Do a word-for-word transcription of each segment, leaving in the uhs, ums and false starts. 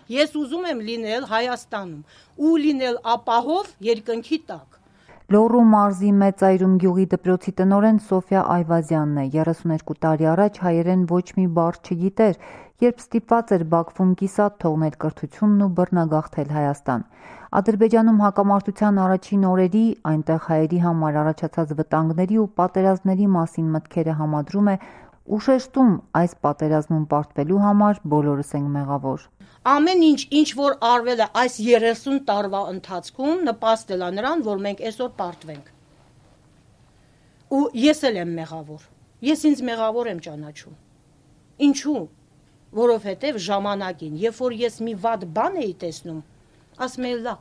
Ես ուզում եմ լինել Հայաստանում ու լինել ապահով երկնքի տակ։ Լոռու մարզի Մեծայրում գյուղի դպրոցի տնօրեն Սոֆյա Այվազյանն է։ երեսուներկու տարի առաջ հայերեն ոչ մի բառ չգիտեր, երբ ստիպված էր Բաքվում կիսատ թողնել կրթությունն ու բռնագաղթել Հայաստան։ Ադրբեջանում հակամարտության առաջին օրերի, այնտեղ հայերի համար առաջացած վտանգների ու պատերազմների մասին մտքերը համադրում է ու շեշտում այս պատերազմում պարտվելու համար բոլորս ենք մեղավոր։ Ամեն ինչ, ինչ որ արվել է այս երեսուն տարվա ընթացքում, նպաստել է նրան, որ մենք այսօր պարտվենք։ Ու ես էլ եմ մեղավոր։ Ես ինձ մեղավոր եմ ճանաչում։ Ինչու՞։ Որովհետև ժամանակին, երբ որ ես մի վատ բան էի տեսնում, ասում էի լավ,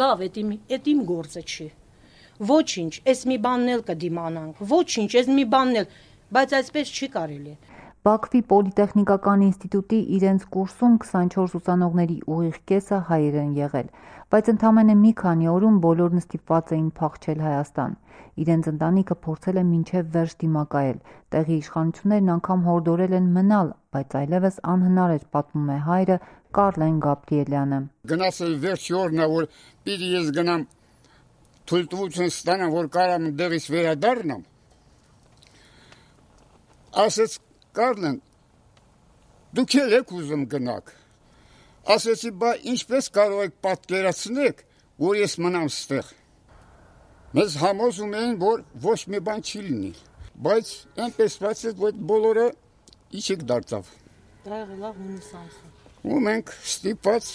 լավ, էդ իմ, էդ իմ գործը չի։ Ոչինչ, այս մի բանն էլ կդիմանանք, ոչինչ, այս մի բանն էլ, բայց այսպես չի կարելի։ Բաքվի Պոլիտեխնիկական ինստիտուտի իրենց կուրսում քսանչորս ուսանողների ուղիղ կեսը հայեր են եղել, բայց ընդամենը մի քանի օրում բոլորն ստիպված էին փախչել Հայաստան։ Իրենց ընտանիքը փորձել է մինչև վերջ դիմակայել, տեղի իշխանություններն անգամ հորդորել են մնալ, բայց այլևս անհնար էր, պատմում է հայրը Կարլեն Գաբրիելյանը։ Գնացել վերջի օրն է, որ պիտի ես գնամ թույլտվություն ստանամ, որ կարամ դեղից վերադառնամ։ Ասեց Կարլեն, դուք էլ եք ուզում գնաք։ Ասեցի, բա ինչպես կարող եք պատկերացնել, որ ես մնամ ստեղ։ Մեզ համոզում էին, որ ոչ մի բան չի լինի, բայց այնպես բացեց, որ բոլորը իջիկ դարձավ։ Դա եղել է հունիս ամսին։ Ու մենք ստիպված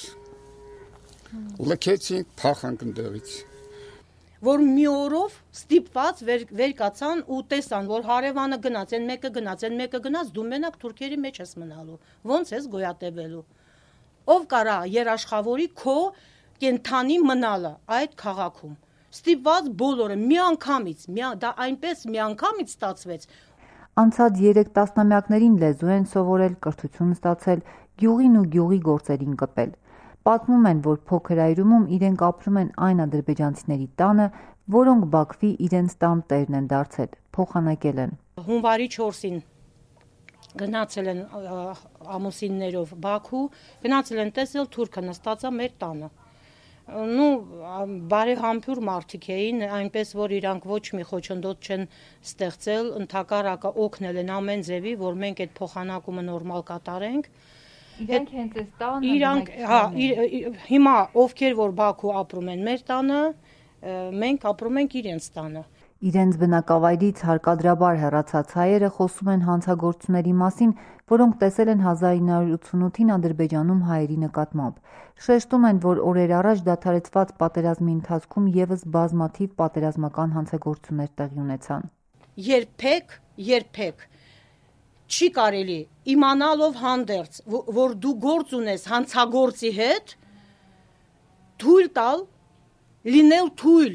լքեցինք, փախանք ընդեղից։ Որ մի օրով ստիպված վեր, վեր կացան ու տեսան, որ հարևանը գնաց, են մեկը գնաց, են մեկը գնաց, դու մենակ թուրքերի մեջ ես մնալու, ոնց ես գոյատևելու։ Ով կարա երաշխավորի քո կենթանի մնալը այդ քաղաքում։ Ստիպված բոլորը միանգամից, մի, դա այնպես միանգամից ստացվեց։ Անցած երեք տասնամյակներին լեզու են սովորել, կրթություն ստացել, գյուղին ու գյուղի գործերին կպել։ Պատմում են, որ փոքր այրումում իրենք ապրում են այն ադրբեջանցիների տանը, որոնք Բաքվի իրենց տան տերն են դարձել, փոխանակել են։ Հունվարի չորսին գնացել են ամուսիններով Բաքու, գնացել են տեսել թուրքը նստած է մեր տանը։ Նու բարեհամբույր մարդիկ էին, այնպես որ իրանք ոչ մի խոչընդոտ չեն ստեղծել, ընդհակառակը օգնել են ամեն ձևի, որ մենք այդ փոխանակումը նորմալ կատարենք։ Իրենք հենց այս տանը իրանք, հա, հիմա ովքեր որ Բաքու ապրում են մեր տանը, մենք ապրում ենք իրենց տանը։ Իրենց բնակավայրից հարկադրաբար հեռացած հայերը խոսում են հանցագործությունների մասին, որոնք տեսել են հազար ինը հարյուր ութսունութին Ադրբեջանում հայերի նկատմամբ։ Շեշտում են, որ օրեր առաջ դադարեցված պատերազմի ընթացքում ևս բազմաթիվ պատերազմական հանցագործություններ տեղի ունեցան։ Երբեք, երբեք չի կարելի իմանալով հանդերձ, որ դու գործ ունես հանցագործի հետ, թույլ տալ, լինել թույլ։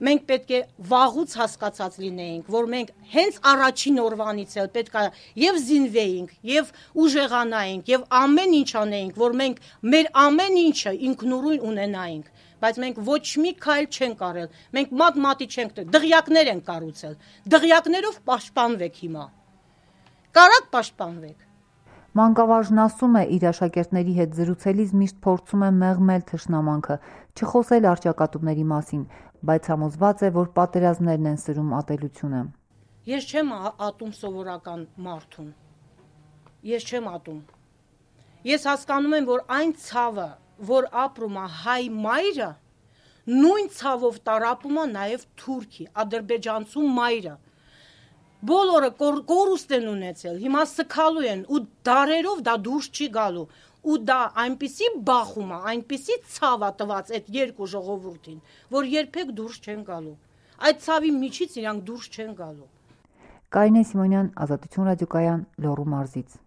Մենք պետք է վաղուց հասկացած լինեինք, որ մենք հենց առաջին օրվանից էլ պետք է եւ զինվեինք, եւ ուժեղանայինք, եւ ամեն ինչ անեինք, որ մենք մեր ամեն ինչը ինքնուրույն ունենայինք, բայց մենք ոչ մի քայլ չենք արել, մենք մատ-մատի չենք, դղյակներ ենք կառուցել, դղյակներով պաշտպանվեք հիմա, կարաք պաշտպանվեք։ Մանկավարժն ասում է, իր աշակերտների հետ զրուցելիս միշտ փորձում է մեղմել թշնամանքը, չխոսել առճակատումների մասին, բայց համոզված է, որ պատերազմներն են սրում ատելությունը։ Ես չեմ ատում սովորական մարդուն, ես չեմ ատում, ես հասկանում եմ, որ այն ցավը, որ ապրում է հայ մայրը, նույն ցավով տարապում է նաև թուրքի, ադրբեջանցու մայրը։ Բոլորը կորուստ են ունեցել, հիմա սքալու են ու դարերով դա դուրս չի գալու ու դա այնպիսի բախում է, այնպիսի ցավ է տված այդ երկու ժողովրդին, որ երբեք դուրս չեն գալու։ Այդ ցավի միջից իրանք դուրս չեն գալու։ Կարինե Սիմոնյան, Ազատություն ռադիոկայան, Լոռու մարզից։